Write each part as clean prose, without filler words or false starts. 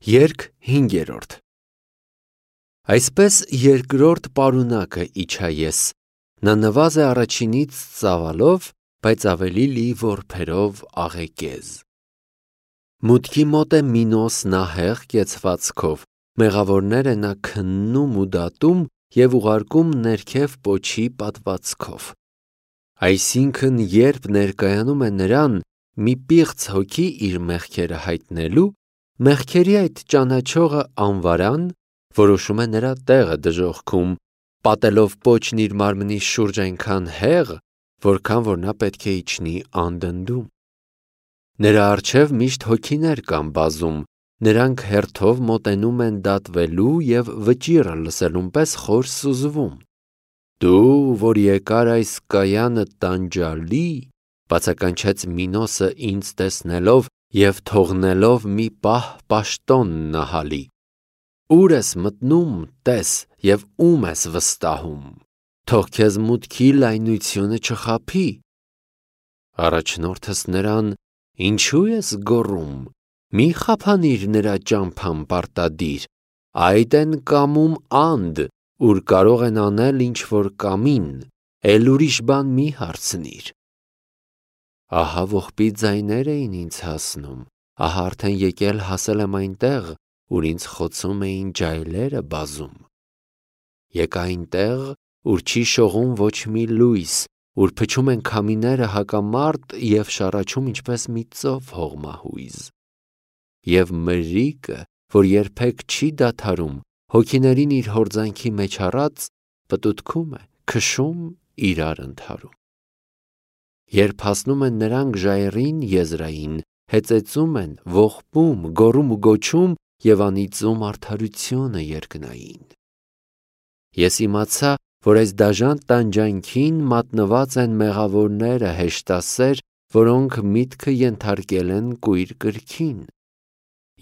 Երգ 5-րդ Այսպես երկրորդ պարունակը իջա ես, նա նվազ է առաջինից ծավալով, բայց ավելի լի որբերով աղեկեզ։ Մուտքի մոտ է Մինոս նահեղ կեցվածքով, մեղավորները նա քննում ու դատում և ուղարկում ներքև պոչի պատվածքով։ Այսինքն երբ ներկայանում է նրան մի պիղծ հոգի իր մեղքերը հայտնելու, մեղքերի այդ ճանաչողը անվարան որոշում է նրա տեղը դժոխքում, պատելով պոչն իր մարմնի շուրջ այնքան հեղ, որքան որ նա պետք է իջնի անդնդում։ Նրա առջև միշտ հոգիներ կան բազում, նրանք հերթով մոտենում են դատվելու և վճիռը լսելուն պես խոր սուզվում։ Դու, որ եկար այս կայանը տանջալի, բացականչեց Մինոսը ինձ տեսնելով և թողնելով մի պահ պաշտոն նահալի։ Ուր ես մտնում, տես, և ում ես վստահում, թող քեզ մուտքի լայնությունը չխաբի։ Առաջնորդս նրան. Ինչու ես գոռում, մի խափանիր նրա ճամփան պարտադիր, այդ են կամում անդ, ուր կարող են անել ինչ որ կամին, էլ ուրիշ բան մի հարցնիր։ Ահա ողբի ձայներ էին ինձ հասնում, ահա արդեն եկել հասել եմ այնտեղ, ուր ինձ խոցում էին ջայլերը բազում։ Եկա այնտեղ, ուր չի շողում ոչ մի լույս, ուր փչում են քամիները հակամարտ և շառաչում ինչպես մի ծով հողմահույզ։ Եվ մրրիկը, որ երբեք չի դադարում, հոգիներին իր հորձանքի մեջ առած, պտուտքում է, քշում, իրար ընդհարում։ Երբ հասնում են նրանք ժայռին եզրային, հեծեծում են, ողբում, գոռում ու գոչում և անիծում արդարությունը երկնային։ Ես իմացա, որ այս դաժան տանջանքին մատնված են մեղավորները հեշտասեր, որոնք միտքը ենթարկել են կույր կրքին։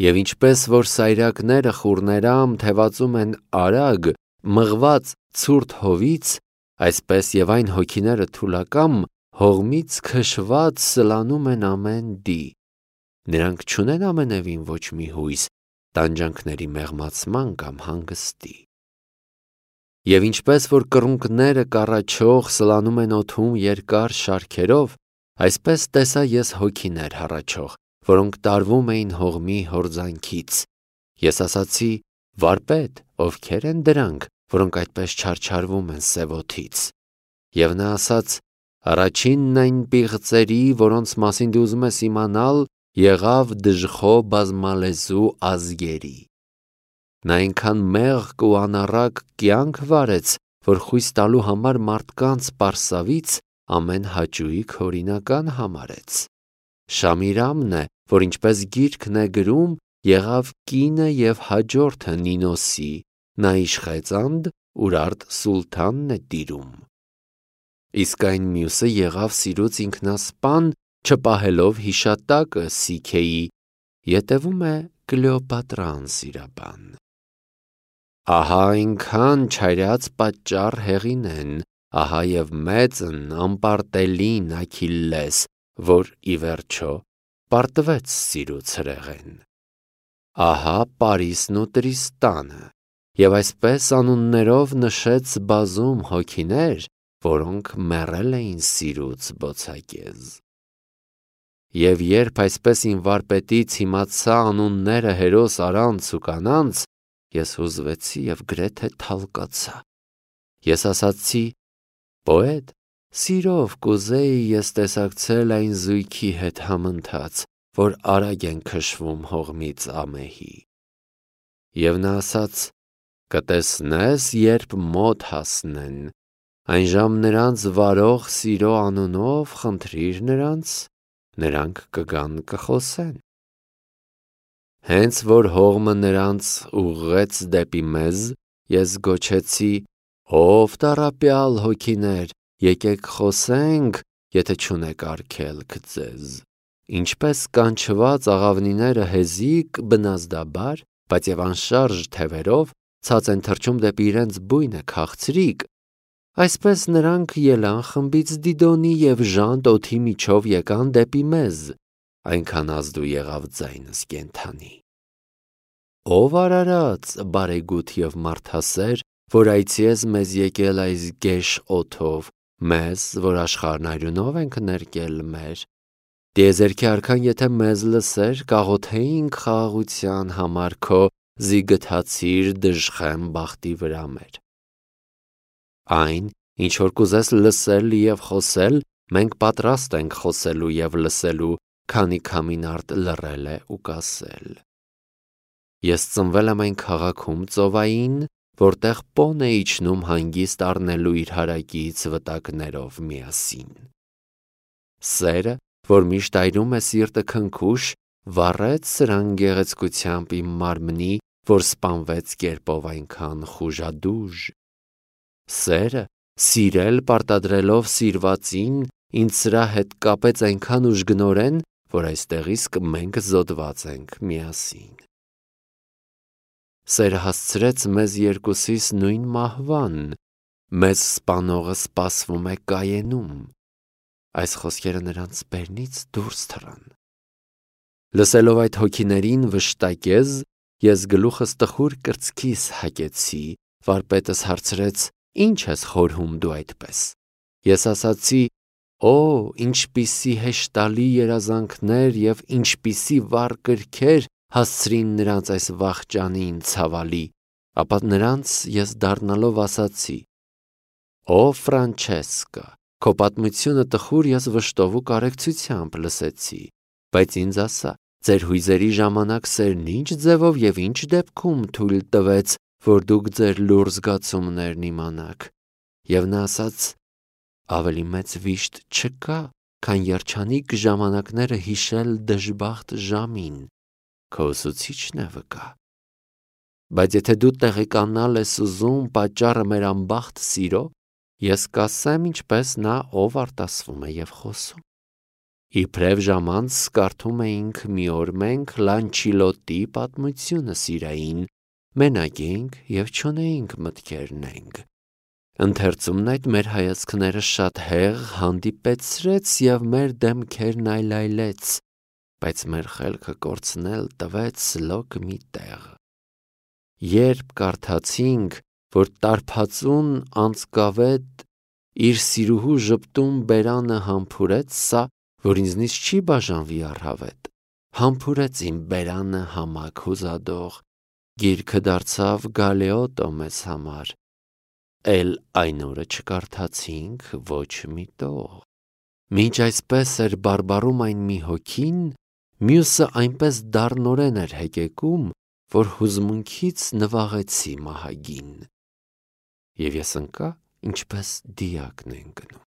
Եվ ինչպես որ սայրակները խուռներամ թևածում են արագ, մղված ցուրտ հովից, այսպես և այն հոգիները թուլակամ, հողմից քշված սլանում են ամեն դի։ Նրանք չունեն ամենևին ոչ մի հույս, տանջանքների մեղմացման կամ հանգստի։ Եվ ինչպես որ կռունկները կառաչող սլանում են օդում երկար շարքերով, այսպես տեսա ես հոգիներ հառաչող, որոնք տարվում էին հողմի հորձանքից։ Ես ասացի. Վարպետ, ովքեր են դրանք, որոնք այդպես չարչարվում են սև օդից։ Եվ նա ասաց. Առաջինն այն պիղծերի, որոնց մասին դու ուզում ես իմանալ, եղավ դժխո բազմալեզու ազգերի։ Նա այնքան մեղք ու անառակ կյանք վարեց, որ խույս տալու համար մարդկանց պարսավից ամեն հաճույք օրինական համարեց։ Շամիրամն է, որ ինչպես գիրքն է գրում, եղավ կինը և հաջորդը Նինոսի, նա իշխեց անդ, ուր արդ սուլթանն է տիրում։ Իսկ այն մյուսը եղավ սիրուց ինքնասպան, չպահելով հիշատակը Սիքեի, ետևում է Կլեոպատրա անսիրաբան։ Ահա այնքան չարյաց պատճառ հեղինեն, ահա և մեծն անպարտելին Աքիլլես, որ ի վերջո պարտվեց սիրուց հրեղեն։ Ահա Պարիսն ու Տրիստանը, և այսպես անուններով նշեց բազում հոգիներ, որոնք մեռել էին սիրուց բոցակեզ։ Եվ երբ այսպես իմ վարպետից իմացա անունները հերոս առանց ու կանանց, ես հուզվեցի և գրեթե թալկացա։ Ես ասացի. Պոետ, սիրով կուզեի ես տեսակցել այն զույգի հետ համընթաց, որ արագ են քշվում հողմից ամեհի։ Եվ նա ասաց. Կտեսնես, երբ մոտ հասնեն, այնժամ նրանց վարող սիրո անունով խնդրիր նրանց, նրանք կգան կխոսեն։ Հենց որ հողմը նրանց ուղղեց դեպի մեզ, ես գոչեցի. Ով տառապյալ հոգիներ, եկեք խոսենք, եթե չունեք արգելք ձեզ։ Ինչպես կանչված աղավնիները հեզիկ, բնազդաբար, բայց և անշարժ թևերով ցած են թռչում դեպի իրենց բույնը քաղցրիկ, այսպես նրանք ելան խմբից Դիդոնի և ժանտ օդի միջով եկան դեպի մեզ, այնքան ազդու եղավ ձայնս կենդանի։ Ով արարած բարեգութ եւ մարդասեր, որ այցի ես մեզ եկել այս գեշ օթով, մեզ, որ աշխարհն այրունով ենք ներկել մեր։ Տիեզերքի արքան եթե մեզ լսեր, կաղոթեինք խաղաղության համար քո զիգթացիր դժխեմ բախտի վրա մեր։ Այն, ինչ որ կուզես լսել եւ խոսել, մենք պատրաստ ենք խոսելու եւ լսելու, քանի քամին արդ լռել է ու կասել։ Ես ծնվել եմ այն քաղաքում ծովային, որտեղ պոն է իջնում հանգիստ առնելու իր հարակից վտակներով միասին։ Սերը, որ միշտ այրում է սիրտը քնքուշ, վառեց սրան գեղեցկությամբ իմ մարմնի, որ սպանվեց կերպով այնքան խուժադուժ։ Սերը, սիրել պարտադրելով սիրվածին, ինձ սրա հետ կապեց այնքան ուժգնորեն, որ այստեղ իսկ մենք զոդված ենք միասին։ Սերը հասցրեց մեզ երկուսիս նույն մահվան, մեզ սպանողը սպասվում է կայենում։ Այս խոսքերը նրանց բերնից դուրս թռան։ Լսելով այդ հոգիներին վշտակեզ, ես գլուխս տխուր կրծքիս հագեցի, վարպետս հարցրեց. Ինչ ես խորհում դու այդպես։ Ես ասացի. Օ, ինչպիսի հեշտալի երազանքներ եւ ինչպիսի վառ կրքեր հասցրին նրանց այս վախճանին ցավալի, ապա նրանց ես դառնալով ասացի. Օ Ֆրանչեսկա, քո պատմությունը տխուր ես վշտով ու կարեկցությամբ լսեցի, բայց ինձ ասա, ձեր հույզերի ժամանակ սերն ինչ ձևով եւ ինչ դեպքում թույլ տվեց, որ դուք ձեր լուր զգացումներն իմանաք։ Եվ նա ասաց. ավելի մեծ վիշտ չկա, քան երջանիկ ժամանակները հիշել դժբախտ ժամին, քո ուսուցիչն է վկա։ Բայց եթե դու տեղեկանալ ես ուզում պատճառը մեր անբախտ սիրո, ես կասեմ ինչպես նա ով արտասվում է եւ խոսում։ Իբրև ժամանց կարդում էինք մի օր մենք Լանչիլոտի պատմությունը սիրային, մենակ էինք եւ չունեինք մտքերնենք։ Ընթերցումն այդ մեր հայացքները շատ հեղ հանդիպեցրեց եւ մեր դեմքերն այլայլեց, բայց մեր խելքը կորցնել տվեց լոկ մի տեղ։ Երբ կարդացինք, որ տարփածուն անցկավետ իր սիրուհու ժպտում բերանը համբուրեց, սա, որ ինձնից չի բաժանվի առհավետ, համբուրեց իմ բերանը համակ հուզադող, գիրքը դարձավ գալեոտո մեզ համար, էլ այն օրը չկարդացինք ոչ մի տող։ Մինչ այսպես էր բարբարում այն մի հոգին, մյուսը այնպես դառնորեն էր հեկեկում, որ հուզմունքից նվաղեցի մահագին։ Եվ ես ընկա, ինչպես դիակն է ընկնում։